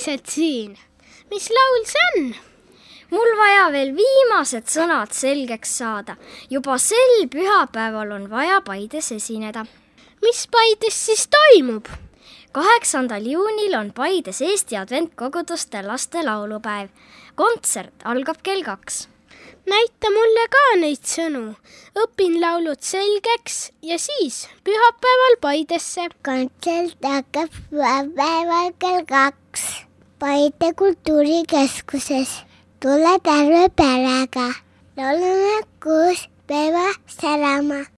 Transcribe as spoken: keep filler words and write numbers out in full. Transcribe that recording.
külalised siin. Mis laul see on? Mul vaja veel viimased sõnad selgeks saada. Juba sel pühapäeval on vaja Paides esineda. Mis Paides siis toimub? kaheksandal juunil on Paides Eesti Adventkoguduste laste laulupäev. Kontsert algab kell kaks. Näita mulle ka neid sõnu. Õpin laulud selgeks ja siis pühapäeval Paidesse. Kontsert hakkab pühapäeval kell kaks. Paide kultuurikeskuses. Tule terve perega. Laulame koos päeva särama.